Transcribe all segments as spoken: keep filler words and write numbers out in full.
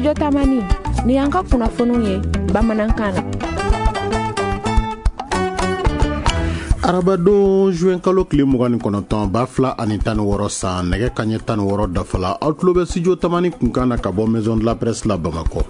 Studio Tamani, ni y'an ka kunnafoniw ye bamanankan na. Arabadon juin kalo tile mugan ni kɔnɔntɔn ba fila ani tan ni wɔɔrɔ san nɛgɛ kanɲɛ tan ni wɔɔrɔ dafala aw tulo bɛ Studio Tamani kunkan na ka bɔ Maison de la Presse la Bamakɔ.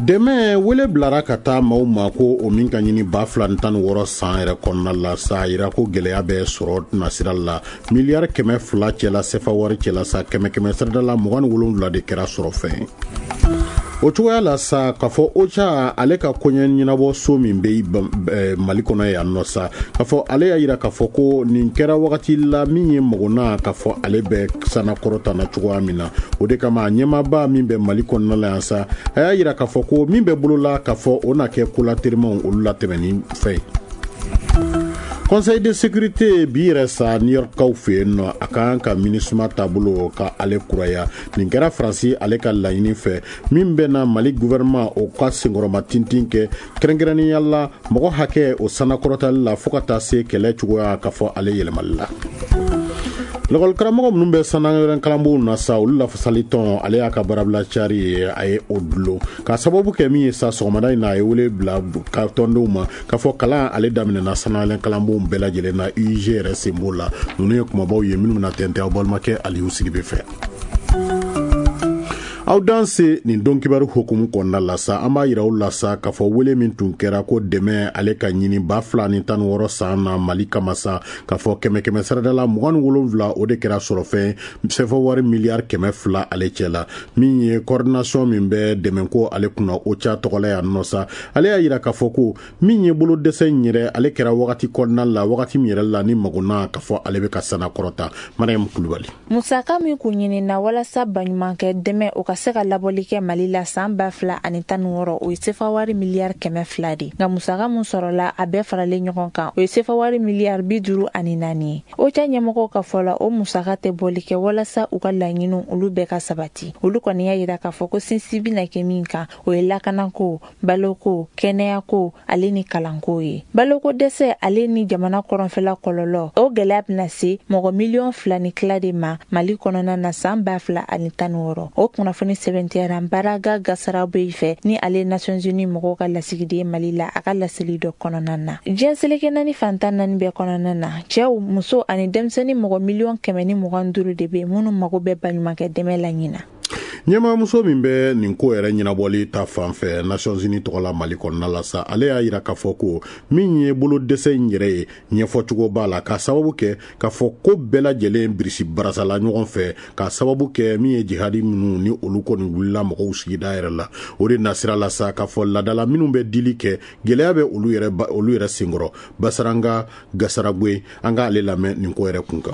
Dɛmɛ wele bilara ka taa maaw ma ko o min ka ɲini ba fila ni tan ni wɔɔrɔ san yɛrɛ kɔnɔna la sa yira ko gɛlɛya bɛ sɔrɔ nasira la miliyari kɛmɛ fila cɛla sefa wari cɛla sa kɛmɛ kɛmɛ sarada la mugan ni wolonwula de kɛra sɔrɔ fɛn. O cogoya la sa k'a fɔ OCHA ale ka koɲɛ ɲɛnabɔ so min bɛ Mali kɔnɔ yan nɔ sa k'a fɔ ale y'a yira k'a fɔ ko nin kɛra wagati la min ye magona k'a fɔ ale bɛ sanakɔrɔta na cogoya min na o de kama ɲɛmaaba min bɛ Mali kɔnɔna la yan sa a y'a yira k'a fɔ ko min bɛ bolola k'a fɔ o na kɛ kolaterimanw olu latɛmɛni fɛn ye. Conseil de sécurité bi yɛrɛ sa New York kaw fɛ yen nɔ a kan ka MINUSMA taabolo ka ale kuraya nin kɛra Faransi ale ka laɲini fɛ min bɛ na Mali gouvernement o ka senkɔrɔma tintin kɛ kɛrɛnkɛrɛnnenya la mɔgɔ hakɛ o sanakɔrɔtali la fo ka taa se kɛlɛ cogoya ka fɔ ale yɛlɛmali la. Lakɔlikaramɔgɔ minnu bɛ sanayɛlɛn kalanbonw na sa olu lafasali tɔn ale y'a ka baarabila cari ye a ye o dulon k'a sababu kɛ min ye sa sɔgɔmada in na a ye wele bila ka tɔndenw ma k'a fɔ kalan ale daminɛna sanayɛlɛn kalanbonw bɛɛ lajɛlen na U I G yɛrɛ sen b'o la. Ninnu ye kumabaw ye minnu bɛna tɛntɛn aw balimakɛ Aliyu Sidibe fɛ. Aw danse nin don kibaru hukumu kɔnɔna la sa an b'a yira aw la sa k'a fɔ wele min tun kɛra ko dɛmɛ ale ka ɲini ba fila ni tan ni wɔɔrɔ san na Mali kama sa k'a fɔ kɛmɛ kɛmɛ sarada la mugan ni wolonwula o de kɛra sɔrɔfɛn sɛfɛ wari miliyari kɛmɛ fila ale cɛ la min ye coordination min bɛ dɛmɛko ale kunna OCHA tɔgɔ la yan nɔ sa ale y'a yira k'a fɔ ko min ye bolo dɛsɛ in yɛrɛ ale kɛra wagati kɔnɔna la wagati min yɛrɛ la ni magona k'a fɔ ale bɛ ka sanakɔrɔta. Mariam Kulubali. Musaka min kun ɲinina walasa baɲumankɛ dɛmɛ o ka se ka labɔli kɛ Mali la san ba fila ani tan ni wɔɔrɔ o ye sefa wari miliyari kɛmɛ fila de nka musaka mun sɔrɔla a bɛɛ faralen ɲɔgɔn kan o ye sefa wari miliyari bi duuru ani naani ye. OCHA ɲɛmɔgɔw ka fɔ la o musaka tɛ bɔli kɛ walasa u ka laɲiniw olu bɛɛ ka sabati. Olu kɔni y'a yira k'a fɔ ko sinsin bɛna kɛ min kan o ye lakanako, baloko, kɛnɛyako ale ni kalanko ye. Baloko dɛsɛ ale ni jamana kɔrɔnfɛla kɔlɔlɔ o gɛlɛya bɛna se mɔgɔ miliyɔn fila ni tila de ma Mali kɔnɔna na san ba fila ani tan ni wɔɔrɔ. O kunnafoni sɛbɛntiyara Baraga Gasarabe fɛ ni ale Nations Unies mɔgɔw ka lasigiden Mali la a ka laseli dɔ kɔnɔna na. Diɲɛ seleke naani fantan naani bɛɛ kɔnɔna na cɛw, muso ani denmisɛnnin mɔgɔ miliyɔn kɛmɛ ni mugan duuru de bɛ minnu mago bɛ baɲumankɛ dɛmɛ la ɲina. Ɲɛmaamuso min bɛ nin ko yɛrɛ ɲɛnabɔli ta fan fɛ Nations Unies tɔgɔ la Mali kɔnɔna la sa ale y'a yira k'a fɔ ko min ye bolo dɛsɛ in yɛrɛ ye ɲɛfɔcogo b'a la k'a sababu kɛ k'a fɔ ko bɛɛ lajɛlen birisi barasala ɲɔgɔn fɛ k'a sababu kɛ min ye jihadi minnu ni olu kɔni wulila mɔgɔw sigida yɛrɛ la o de nasira la sa k'a fɔ ladala minnu bɛ dili kɛ gɛlɛya bɛ olu yɛrɛ olu yɛrɛ senkɔrɔ. Basaranga Gasaragwe an k'ale lamɛn nin ko yɛrɛ kun kan.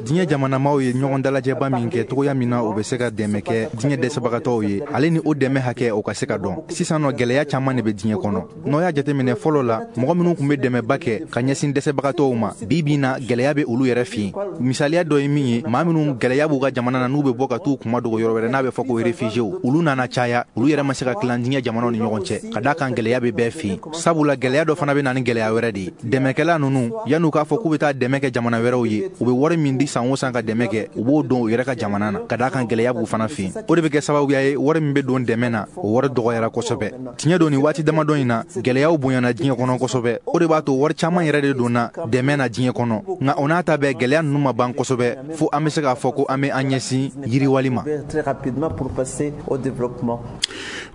Diɲɛ jamanamaw ye ɲɔgɔn dalajɛba min kɛ cogoya min na o bɛ se ka dɛmɛ kɛ diɲɛ dɛsɛbagatɔw ye ale ni o dɛmɛ hakɛ o ka se ka dɔn. Sisan nɔ gɛlɛya caman de bɛ diɲɛ kɔnɔ. N'o y'a jateminɛ fɔlɔ la mɔgɔ minnu tun bɛ dɛmɛba kɛ ka ɲɛsin dɛsɛbagatɔw ma bi bi na gɛlɛya bɛ olu yɛrɛ fɛ yen. Misaliya dɔ ye min ye maa minnu gɛlɛya b'u ka jamana na n'u bɛ bɔ ka t'u kuma dogo yɔrɔ wɛrɛ n'a bɛ fɔ ko réfugiés olu nana caya olu yɛrɛ ma se ka tilan diɲɛ jamanaw ni ɲɔgɔn cɛ ka d'a kan gɛlɛya bɛ bɛɛ fɛ yen. Sabula gɛlɛya dɔ fana bɛ na ni gɛlɛya wɛrɛ de ye. Dɛmɛkɛla ninnu yan'u k'a fɔ k'u bɛ taa dɛmɛ kɛ jamana wɛrɛw ye u bɛ wari min di san o san ka dɛmɛ kɛ u b'o don u yɛrɛ ka jamana na ka d'a kan gɛlɛya b'u fana fɛ yen. O de bɛ kɛ sababuya ye wari min bɛ don dɛmɛ na o wari dɔgɔyara kosɛbɛ. Tiɲɛ don nin waati damadɔ in na gɛlɛyaw bonyana diɲɛ kɔnɔ kosɛbɛ. O de b'a to wari caman yɛrɛ de donna dɛmɛ na diɲɛ kɔnɔ nka o n'a ta bɛɛ gɛlɛya ninnu ma ban kosɛbɛ fo an bɛ se k'a fɔ ko an bɛ an ɲɛsin yiriwali ma.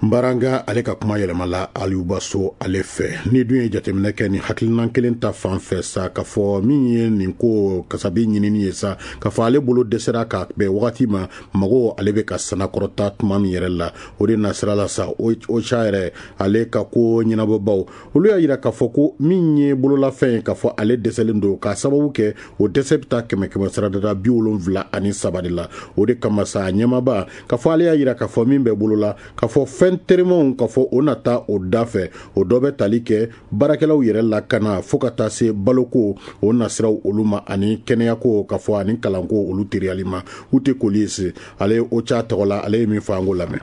Baranga ale ka kuma yɛlɛmala Aliyu Baso ale fɛ. Ni dun ye jateminɛ kɛ ni hakilinan kelen ta fan fɛ sa k'a fɔ min ye nin ko kasabi ɲinini ye sa k'a fɔ ale bolo dɛsɛra ka bɛn wagati ma mago ale bɛ ka sanakɔrɔta tuma min yɛrɛ la o de nasira la sa OCHA yɛrɛ ale ka ko ɲɛnabɔbaw olu y'a yira k'a fɔ ko min ye bololafɛn ye k'a fɔ ale dɛsɛlen don k'a sababu kɛ o dɛsɛ bɛ taa kɛmɛ kɛmɛ sarada bi wolonwula ani saba de la. O de kama sa ɲɛmaaba k'a fɔ ale y'a yira k'a fɔ min bɛ bolo la k'a fɔ fɔ fɛn terimanw k'a fɔ o na taa o da fɛ, o dɔ bɛ tali kɛ baarakɛlaw yɛrɛ lakana fo ka taa se baloko o nasiraw olu ma, ani kɛnɛyako k'a fɔ ani kalanko olu teriyali ma. Ute Kolisi ale ye OCHA tɔgɔ la, ale ye min fɔ an k'o lamɛn.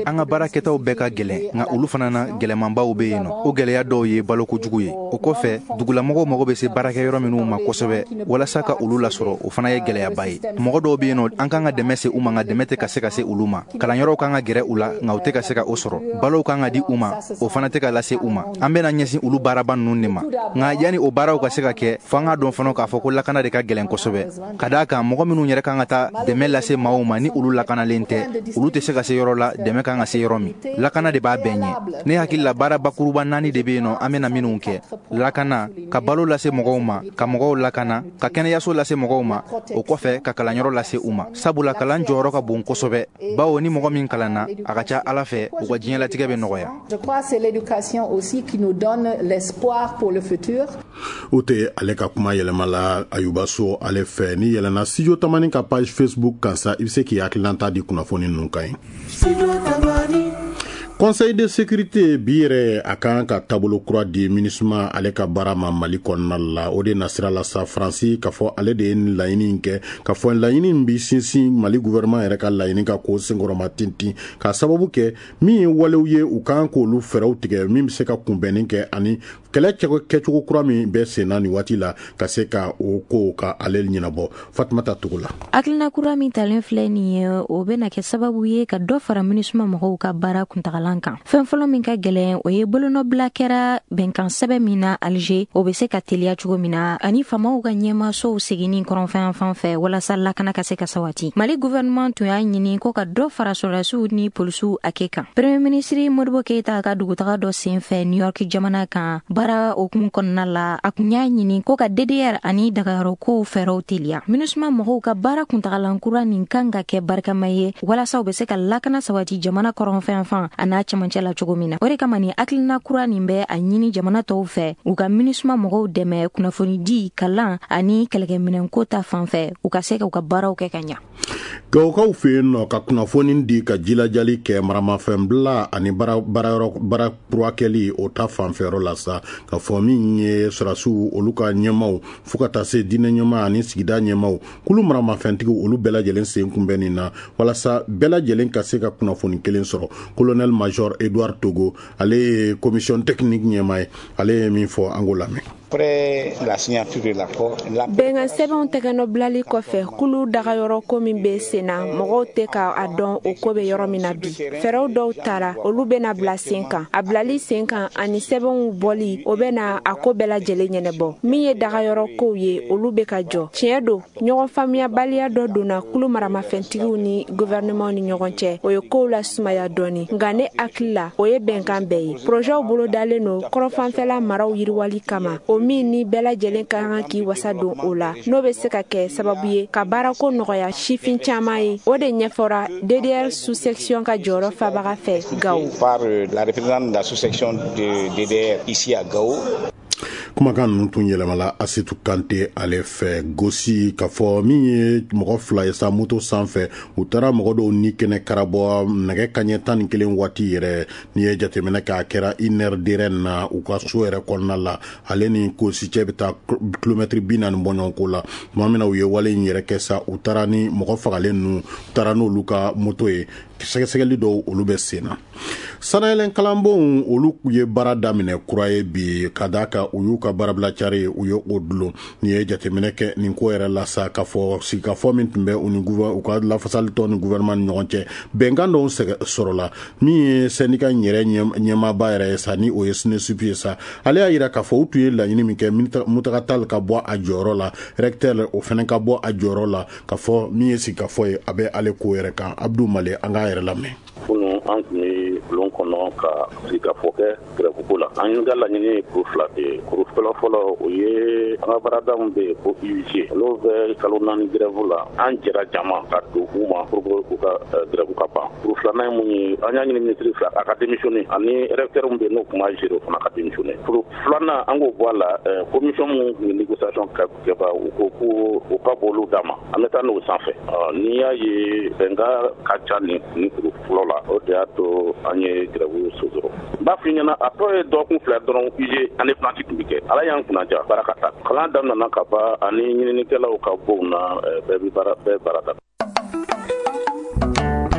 An ka baarakɛtaw bɛɛ ka gɛlɛn, nka olu fana na gɛlɛmanbaw bɛ yen nɔ. O gɛlɛya dɔw ye balokojugu ye. O kɔfɛ, dugulamɔgɔw mago bɛ se baarakɛyɔrɔ minnu ma kosɛbɛ walasa ka olu lasɔrɔ, o fana ye gɛlɛyaba ye. Mɔgɔ dɔw bɛ yen nɔ, an kan ka dɛmɛ se u ma, nka dɛmɛ tɛ ka se ka se olu ma. Kalanyɔrɔw kan ka gɛrɛ u la, nka u tɛ ka se ka o sɔrɔ. Balow kan ka di u ma, o fana tɛ ka lase u ma. An bɛna ɲɛsin olu baaraba ninnu de ma. Nka yanni o baaraw ka se ka kɛ, fo an k'a dɔn fana k'a fɔ ko lakana de ka gɛlɛn kosɛbɛ. Ka d'a kan mɔgɔ minnu yɛrɛ kan ka taa dɛmɛ lase maaw ma, ni olu lakanalen tɛ, olu tɛ se ka se yɔrɔ la dɛmɛ kan ka se yɔrɔ min. Lakana de b'a bɛɛ ɲɛ. Ne hakili la baara bakuruba naani de bɛ yen nɔ an bɛna minnu kɛ: lakana, ka balo lase mɔgɔw ma, ka mɔgɔw lakana, ka kɛnɛyaso lase mɔgɔw ma, o kɔfɛ ka kalanyɔrɔ lase u ma. Sabula kalan jɔyɔrɔ ka bon kosɛbɛ, bawo ni mɔgɔ min kalanna, a ka ca Ala fɛ u ka diɲɛlatigɛ bɛ nɔgɔya. O tɛ ale ka kuma yɛlɛma la Ayuba So ale fɛ. Ni yɛlɛnna Studio Tamani ka page Facebook kan sa, i bɛ se k'i hakilinata di kunnafoni ninnu kan ye. Conseil de sécurité bi yɛrɛ a kan ka taabolo kura di MINUSMA ale ka baara ma Mali kɔnɔna la. O de nasira la sa, Faransi k'a fɔ ale de ye laɲini kɛ, k'a fɔ laɲini in bi sinsin Mali gouvernement yɛrɛ ka laɲini ka k'o senkɔrɔma tintin, k'a sababu kɛ min ye walew ye u kan k'olu fɛɛrɛw tigɛ min bɛ se ka kunbɛnni kɛ ani kɛlɛ kɛcogo kura min bɛ sen na nin waati la ka se ka o ko ka ale ɲɛnabɔ. Fatumata Togo la. Hakilina kura min talen filɛ nin ye, o bɛna kɛ sababu ye ka dɔ fara MINUSMA mɔgɔw ka baara kuntagala kan. Fɛn fɔlɔ min ka gɛlɛn, o ye bolonɔbila kɛra bɛnkan sɛbɛn min na Alger, o bɛ se ka teliya cogo min na, ani faamaw ka ɲɛmaasow seginni kɔrɔnfɛn fan fɛ walasa lakana ka se ka sabati. Mali gouvernement tun y'a ɲini ko ka dɔ fara sɔrɔdasiw ni polisiw hakɛ kan. Premier ministre Modibo Keita ka dugutaga dɔ sen fɛ New York jamana kan, baara hukumu kɔnɔna la, a kun y'a ɲini ko ka D D R ani dagayɔrɔ kow fɛɛrɛw teliya. MINUSMA mɔgɔw ka baara kuntagalan kura nin kan ka kɛ barikama ye walasa u bɛ se ka lakana sabati jamana kɔrɔnfɛn fan a n'a cɛmancɛ la cogo min na. O de kama ni hakilina kura nin bɛ a ɲini jamana tɔw fɛ u ka MINUSMA mɔgɔw dɛmɛ kunnafonidi, kalan ani kɛlɛkɛminɛnko ta fan fɛ, u ka se ka u ka baaraw kɛ ka ɲa. Gawokaw fɛ yen nɔ, ka kunnafoni di ka jilajali kɛ maramafɛnbila ani baarayɔrɔ baara kura kɛli o ta fanfɛyɔrɔ la sa, ka fɔ min ye sɔrɔdasiw olu ka ɲɛmaw fo ka taa se diinɛ ɲɛmaa ani sigida ɲɛmaw kulu maramafɛntigiw olu bɛɛ lajɛlen sen kunbɛn nin na walasa bɛɛ lajɛlen ka se ka kunnafoni kelen sɔrɔ. Colonel Major Edouard Togo, ale ye commission technique ɲɛmaa ye, ale ye min fɔ an k'o lamɛn. Bɛnkan sɛbɛnw tɛgɛnɔbilali kɔfɛ, kulu dagayɔrɔ ko min bɛ sen na, mɔgɔw tɛ ka a dɔn o ko bɛ yɔrɔ min na bi. Fɛɛrɛw dɔw tara, olu bɛna bila sen kan. A bilali sen kan ani sɛbɛnw bɔli, o bɛna a ko bɛɛ lajɛlen ɲɛnabɔ. Min ye dagayɔrɔ kow ye, olu bɛ ka jɔ. Tiɲɛ don, ɲɔgɔn faamuyabaliya dɔ donna kulu maramafɛntigiw ni gouvernement ni ɲɔgɔn cɛ, o ye kow lasumaya dɔɔni. Nka ne hakili la, o ye bɛnkan bɛɛ ye. Projɛw bolodalen don kɔrɔfanfɛla maraw yiriwali kama, o min ni bɛɛ lajɛlen ka kan k'i wasa don o la, n'o bɛ se ka kɛ sababu ye ka baarako nɔgɔya sifin caman ye. O de ɲɛfɔra D D R sous-section ka jɔyɔrɔ fabaga fɛ Gao. Par la représentante de la sous-section de D D R ici à Gao. Kumakan ninnu tun yɛlɛmala Asetu Kante ale fɛ. Gosi k'a fɔ min ye mɔgɔ fila ye sa moto sanfɛ, u taara mɔgɔ dɔw ni kɛnɛ karabɔ nɛgɛ kaɲɛ tan ni kelen waati yɛrɛ. N'i ye jateminɛ k'a kɛra Inɛridɛrɛn na u ka so yɛrɛ kɔnɔna la, ale ni Kosi cɛ bɛ taa kilomɛtiri bi naani bɔ ɲɔgɔn ko la. Tuma min na u ye wale in yɛrɛ kɛ sa, u taara ni mɔgɔ fagalen ninnu, u taara n'olu ka moto ye. Sɛgɛsɛgɛli dɔw olu bɛ sen na. Sanayɛlɛn kalanbonw olu ye baara daminɛ kura ye bi, ka d'a kan u y'u ka baarabila cari u ye o dulon. N'i ye jateminɛ kɛ nin ko yɛrɛ la sa, k'a fɔ sigikafɔ min tun bɛ u ni u ka lafasalitɔn ni gouvernement ni ɲɔgɔn cɛ, bɛnkan dɔw sɔrɔla. Min ye syndicat in yɛrɛ ɲɛmaaba yɛrɛ ye sa, ni o ye SNESUP ye sa, ale y'a yira k'a fɔ u tun ye laɲini min kɛ, Mutaga Tall ka bɔ a jɔyɔrɔ la, recteur o fana ka bɔ a jɔyɔrɔ la, k'a fɔ min ye sigikafɔ ye a bɛ ale ko yɛrɛ kan. Abdou Male, an k'a yɛrɛ lamɛn. Kunun an tun ye bɛ bulon kɔnɔ ka sigikafɔ kɛ grève ko la. An ka laɲini ye kuru fila de ye. Kuru fɔlɔ fɔlɔ, o ye an ka baarada min bɛ yen ko U I G. Olu bɛ kalo naani grève la. An jɛra jama ka don u ma pour que u ka grève ka ban. Kuru filanan ye mun ye? An y'a ɲini ministre fɛ a ka démissionner, ani recteur min bɛ yen n'o tun b'a gérer, o fana ka démissionner. Kuru filanan, an k'o bɔ a la, commission min tun bɛ négociation kɛba, u ko ko u ka bɔ olu d'a ma, an bɛ taa n'o sanfɛ. N'i y'a ye bɛnkan ka ca nin nin kuru fɔlɔ la, o de y'a to an ye grève sonsoro. N b'a f'i ɲɛna, a tɔ ye dɔgɔkun fila dɔrɔn, U I G année blanche tun bɛ kɛ. Ala y'an kunnaja, baara ka taa. Kalan daminɛna ka ban, ani ɲininikɛlaw ka bonw na, bɛɛ bɛ baara, bɛɛ baara daminɛ.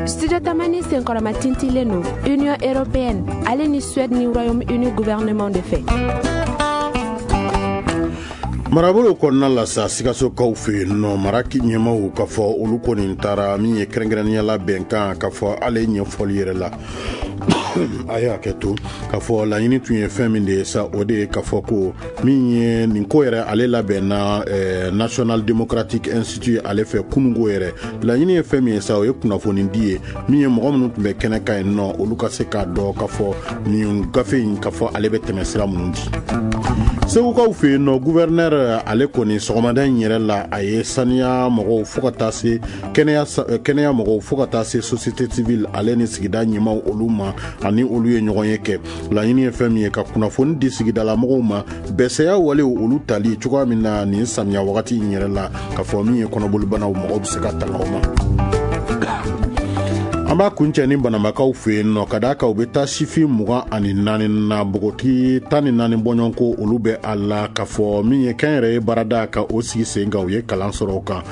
Studio Tamani senkɔrɔma tintilen don Union européenne ale ni Suède ni Royaume-Uni gouvernement de fɛ. Marabolo kɔnɔna la sa, Sikasokaw fɛ yen nɔ, mara ɲɛmaw ka fɔ olu kɔni taara min ye kɛrɛnkɛrɛnnenya bɛnkan ka fɔ ale ɲɛfɔli yɛrɛ la, a y'a kɛ to k'a fɔ laɲini tun ye fɛn min de ye sa, o de ye k'a fɔ ko min ye nin ko yɛrɛ, ale labɛnna eh, National Democratic Institute ale fɛ kununko yɛrɛ. Laɲini ye fɛn min ye sa, o ye kunnafoni di ye min ye mɔgɔ minnu tun bɛ kɛnɛ kan yen nɔ, olu ka se k'a dɔn k'a fɔ nin gafe in, k'a fɔ ale bɛ tɛmɛ sira minnu di. Segukaw fɛ yen nɔ, gouverneur ale kɔni sɔgɔmada in yɛrɛ la, a ye saniya mɔgɔw fo ka taa se kɛnɛya kɛnɛya mɔgɔw fo ka taa se société civile ale ni sigida ɲɛmaw olu ma, ani olu ye ɲɔgɔn ye kɛ. Laɲini ye fɛn min ye, ka kunnafoni di sigidalamɔgɔw ma bɛsɛya walew olu tali cogoya min na nin samiya wagati in yɛrɛ la, k'a fɔ min ye kɔnɔbolibanaw, mɔgɔw bɛ se ka tanga o ma. An b'a kuncɛ ni Banamakaw fɛ yen nɔ, ka d'a kan u bɛ taa sifin mugan ani naani na, npogotigi tan ni naani bɔɲɔgɔnko olu bɛ a la, k'a fɔ min ye kɛnyɛrɛye baarada ka o sigi sen kan. U ye kalan sɔrɔ o kan,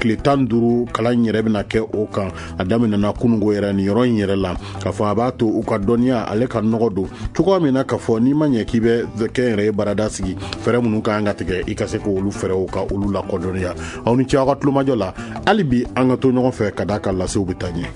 tile tan duuru kalan yɛrɛ bɛna kɛ o kan. A daminɛna kununko yɛrɛ nin yɔrɔ in yɛrɛ la, k'a fɔ a b'a to u ka dɔnniya ale ka nɔgɔ don cogoya min na, k'a fɔ n'i ma ɲɛ k'i bɛ kɛnyɛrɛye baarada sigi, fɛɛrɛ minnu ka kan ka tigɛ, i ka se k'olu fɛɛrɛw ka olu lakodɔnniya. Aw ni ce aw ka tulomajɔ la. Hali bi an ka to ɲɔgɔn fɛ, ka d'a kan lasew bɛ taa ɲɛ.